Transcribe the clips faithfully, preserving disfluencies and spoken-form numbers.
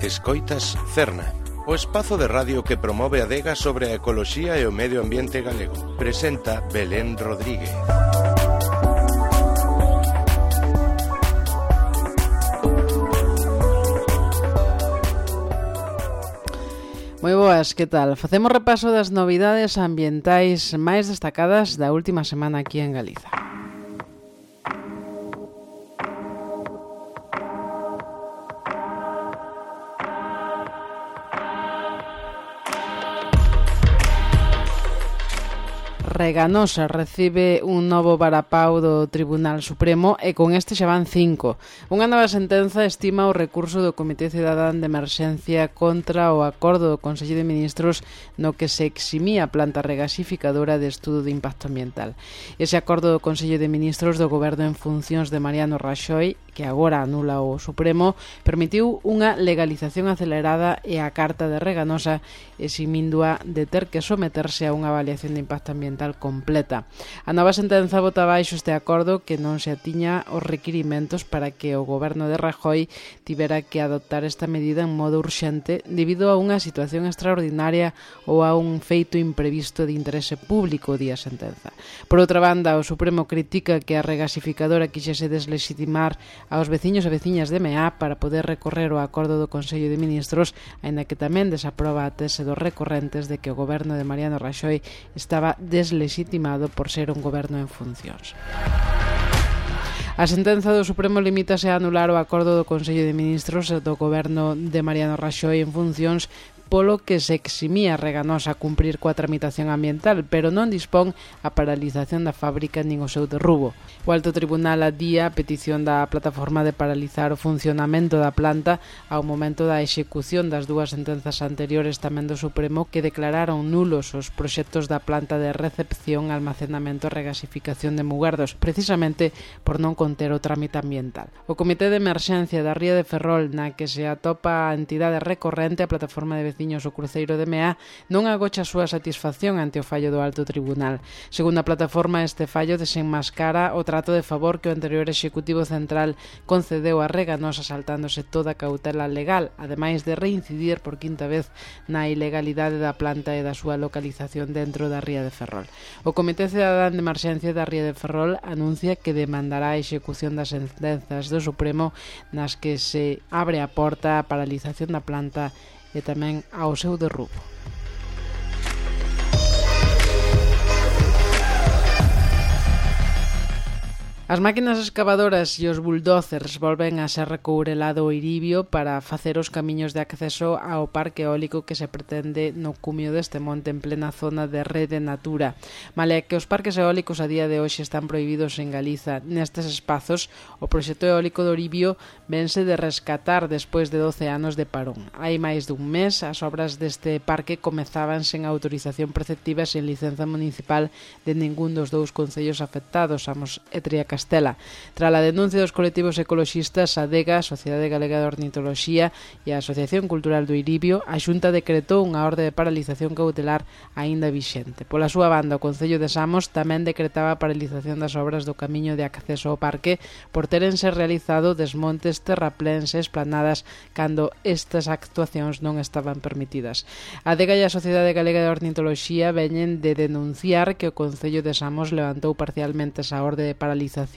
Escoitas Cerna, o espazo de radio que promove a adega sobre a ecoloxía e o medio ambiente galego. Presenta Belén Rodríguez. Moi boas, que tal? Facemos repaso das novidades ambientais máis destacadas da última semana aquí en Galiza. Reganosa recibe un novo varapau do Tribunal Supremo e con este xa van cinco. Unha nova sentenza estima o recurso do Comité Cidadán de Emerxencia contra o acordo do Consello de Ministros no que se eximía a planta regasificadora de estudo de impacto ambiental. Ese acordo do Consello de Ministros do Goberno en funcións de Mariano Raxoi, que agora anula o Supremo, permitiu unha legalización acelerada e a Carta de Reganosa eximíndoa de ter que someterse a unha avaliación de impacto ambiental completa. A nova sentenza bota baixo este acordo que non se atiña aos requirimentos para que o goberno de Rajoy tivera que adoptar esta medida en modo urxente debido a unha situación extraordinaria ou a un feito imprevisto de interese público, di a sentenza. Por outra banda, o Supremo critica que a regasificadora quixese deslegitimar aos veciños e veciñas de Meá para poder recorrer o acordo do Consello de Ministros, aínda que tamén desaproba a tese dos recorrentes de que o goberno de Mariano Raxoi estaba deslegitimado por ser un goberno en funcións. A sentenza do Supremo limítase a anular o acordo do Consello de Ministros do goberno de Mariano Raxoi en funcións polo que se eximía Reganosa a cumprir coa tramitación ambiental, pero non dispón a paralización da fábrica nin o seu derrubo. O Alto Tribunal adía a petición da plataforma de paralizar o funcionamento da planta ao momento da execución das dúas sentenzas anteriores tamén do Supremo que declararon nulos os proxectos da planta de recepción, almacenamento e regasificación de Mugardos, precisamente por non conter o trámite ambiental. O Comité de Emerxencia da Ría de Ferrol, na que se atopa a entidade recorrente, a plataforma de veciños o Cruceiro de Meá, non agocha a súa satisfacción ante o fallo do Alto Tribunal. Segundo a plataforma, este fallo desenmascara o trato de favor que o anterior Executivo Central concedeu a Reganosa saltándose toda a cautela legal, ademais de reincidir por quinta vez na ilegalidade da planta e da súa localización dentro da Ría de Ferrol. O Comité Cidadán de Emerxencia da Ría de Ferrol anuncia que demandará a execución das sentenzas do Supremo nas que se abre a porta á paralización da planta e tamén ao seu derrubo. As máquinas excavadoras e os bulldozers volven a ser recourelado o Iribio para facer os camiños de acceso ao parque eólico que se pretende no cumio deste monte en plena zona de Rede Natura. Male que os parques eólicos a día de hoxe están prohibidos en Galiza, nestes espazos o proxecto eólico do Iribio vense de rescatar despois de doce anos de parón. Hai máis dun mes as obras deste parque comezaban sen autorización preceptiva e sen licenza municipal de ningún dos dous concellos afectados, Amos e Triacastela. Castela. Tras a denuncia dos colectivos ecoloxistas, a Adega, a Sociedade Galega de Ornitoloxía e a Asociación Cultural do Iribio, a Xunta decretou unha orde de paralización cautelar aínda vixente. Pola súa banda, o Concello de Samos tamén decretaba a paralización das obras do camiño de acceso ao parque por terense realizado desmontes, terrapléns e esplanadas cando estas actuacións non estaban permitidas. A Adega e a Sociedade Galega de Ornitoloxía veñen de denunciar que o Concello de Samos levantou parcialmente esa orde de paralización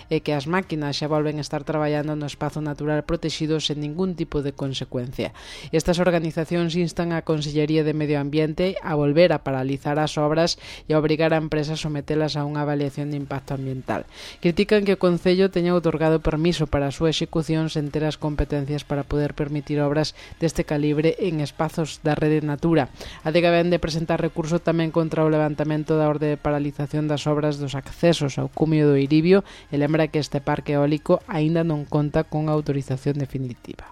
e que as máquinas xa volven a estar traballando no espazo natural protexido sen ningún tipo de consecuencia. Estas organizacións instan a Consellería de Medio Ambiente a volver a paralizar as obras e a obrigar a empresas a sometelas a unha avaliación de impacto ambiental. Critican que o Concello teña outorgado permiso para a súa execución sen ter as competencias para poder permitir obras deste calibre en espazos da Rede Natura. A Adega vén de presentar recurso tamén contra o levantamento da orde de paralización das obras dos accesos ao cumio do Iribio e lembra que este parque eólico aínda non conta con autorización definitiva.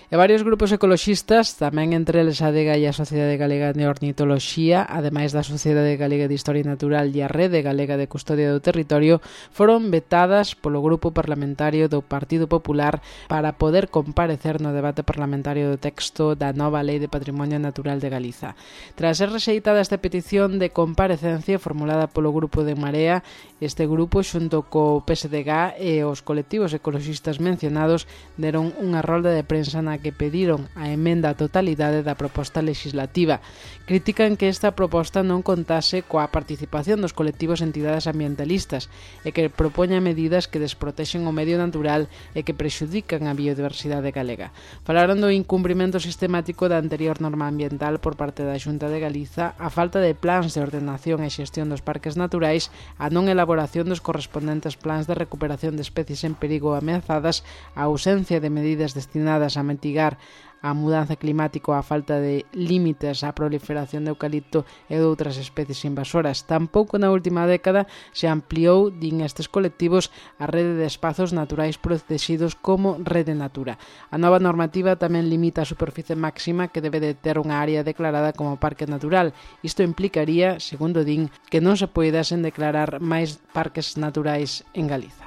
E E varios grupos ecoloxistas, tamén entre eles a Adega e a Sociedade Galega de Ornitoloxía, ademais da Sociedade Galega de Historia Natural e a Rede Galega de Custodia do Territorio, foron vetadas polo Grupo Parlamentario do Partido Popular para poder comparecer no debate parlamentario do texto da nova Lei de Patrimonio Natural de Galiza. Tras ser rexeitada esta petición de comparecencia formulada polo Grupo de Marea, este grupo, xunto co P S D G e os colectivos ecoloxistas mencionados, deron unha rolda de prensa na que pediron a emenda á totalidade da proposta legislativa. Critican que esta proposta non contase coa participación dos colectivos e entidades ambientalistas e que propoña medidas que desprotexen o medio natural e que prexudican a biodiversidade galega. Falaron do incumprimento sistemático da anterior norma ambiental por parte da Xunta de Galiza, a falta de plans de ordenación e xestión dos parques naturais, a non elaboración dos correspondentes plans de recuperación de especies en perigo ameazadas, a ausencia de medidas destinadas a mitigar a mudanza climática, a falta de límites á proliferación de eucalipto e de outras especies invasoras. Tampouco na última década se ampliou, din estes colectivos, a rede de espazos naturais protegidos como Rede Natura. A nova normativa tamén limita a superficie máxima que debe de ter unha área declarada como parque natural. Isto implicaría, segundo din, que non se poidasen declarar máis parques naturais en Galiza.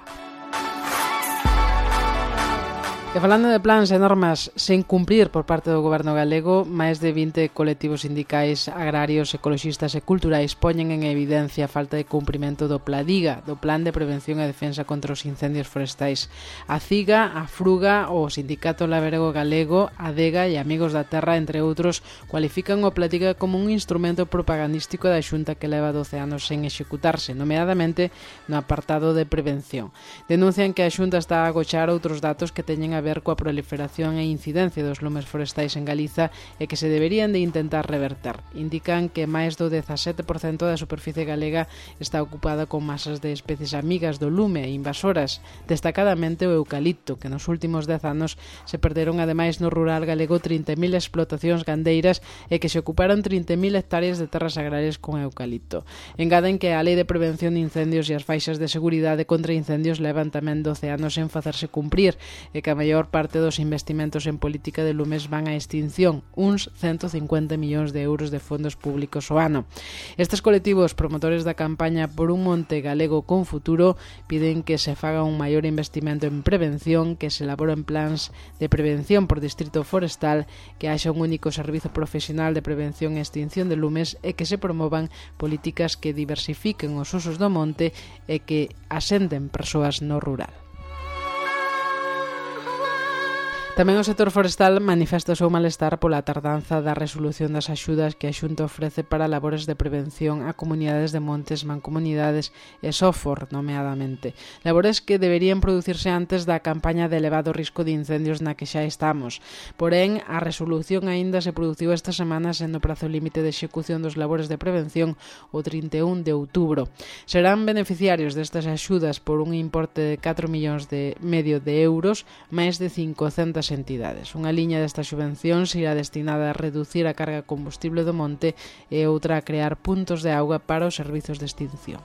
E falando de plans e normas sen cumprir por parte do goberno galego, máis de vinte colectivos sindicais, agrarios, ecoloxistas e culturais poñen en evidencia a falta de cumprimento do PLADIGA, do Plan de Prevención e Defensa contra os Incendios Forestais. A CIGA, a FRUGA, o Sindicato Labrego Galego, a ADEGA e Amigos da Terra, entre outros, cualifican o PLADIGA como un instrumento propagandístico da Xunta que leva doce anos sen executarse, nomeadamente no apartado de prevención. Denuncian que a Xunta está a agochar outros datos que teñen a ver coa proliferación e incidencia dos lumes forestais en Galiza e que se deberían de intentar reverter. Indican que máis do dezasete por cento da superficie galega está ocupada con masas de especies amigas do lume e invasoras, destacadamente o eucalipto, que nos últimos dez anos se perderon ademais no rural galego trinta mil explotacións gandeiras e que se ocuparon trinta mil hectáreas de terras agrarias con eucalipto. Engaden que a Lei de Prevención de Incendios e as faixas de seguridade contra incendios levan tamén doce anos en facerse cumprir e que a maior parte dos investimentos en política de lumes van á extinción, uns ciento cincuenta millóns de euros de fondos públicos ao ano. Estes colectivos promotores da campaña por un monte galego con futuro piden que se faga un maior investimento en prevención, que se elaboren plans de prevención por distrito forestal, que haxa un único servizo profesional de prevención e extinción de lumes e que se promovan políticas que diversifiquen os usos do monte e que asenten persoas no rural. Tamén o sector forestal manifesta o seu malestar pola tardanza da resolución das axudas que a Xunta ofrece para labores de prevención a comunidades de montes, mancomunidades e sofor, nomeadamente. Labores que deberían producirse antes da campaña de elevado risco de incendios na que xa estamos. Porén, a resolución aínda se produciu esta semana sendo o prazo límite de execución dos labores de prevención o trinta e un de outubro. Serán beneficiarios destas axudas por un importe de catro millóns de medio de euros, máis de cincocentas entidades. Unha liña destas subvencións irá destinada a reducir a carga combustible do monte e outra a crear puntos de auga para os servizos de extinción.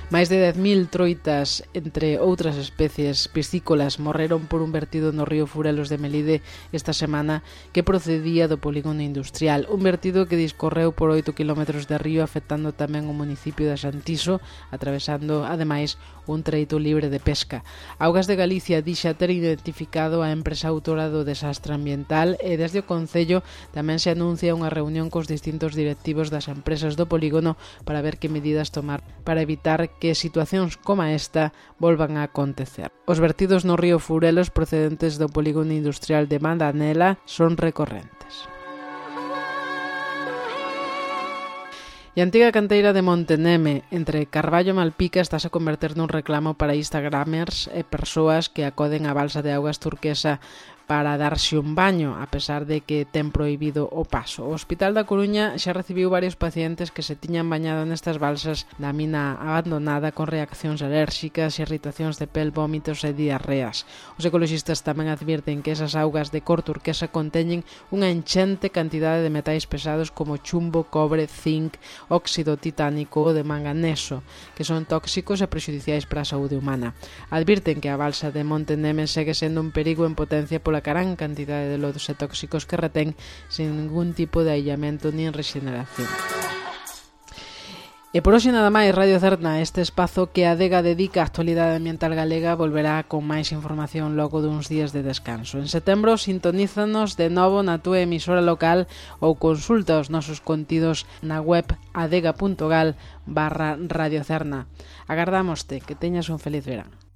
Máis de dez mil troitas, entre outras especies piscícolas, morreron por un vertido no río Furelos de Melide esta semana que procedía do polígono industrial. Un vertido que discorreu por oito quilómetros de río, afectando tamén o municipio de Santiso, atravesando, ademais, un treito libre de pesca. Augas de Galicia dixa ter identificado a empresa autora do desastre ambiental e desde o Concello tamén se anuncia unha reunión cos distintos directivos das empresas do polígono para ver que medidas tomar para evitar que situacións como esta volvan a acontecer. Os vertidos no río Furelos procedentes do polígono industrial de Mandanela son recorrentes. E a antiga canteira de Monteneme, entre Carballo e Malpica, estás a converter nun reclamo para instagramers e persoas que acoden á balsa de augas turquesa para darse un baño, a pesar de que ten prohibido o paso. O Hospital da Coruña xa recibiu varios pacientes que se tiñan bañado nestas balsas da mina abandonada con reaccións alérxicas, irritacións de pel, vómitos e diarreas. Os ecoloxistas tamén advirten que esas augas de cor turquesa conteñen unha enchente cantidade de metais pesados como chumbo, cobre, zinc, óxido titánico ou de manganeso, que son tóxicos e prexudiciais para a saúde humana. Advirten que a balsa de Monte Neme segue sendo un perigo en potencia pola gran cantidade de lodos e tóxicos que retén sin ningún tipo de aillamento nin regeneración. E por hoxe nada máis, Radio Cerna, este espazo que a Adega dedica á actualidade ambiental galega, volverá con máis información logo duns días de descanso. En setembro sintonízanos de novo na túa emisora local ou consulta os nosos contidos na web adega punto gal barra Radio Cerna. Agardámoste, que teñas un feliz verán.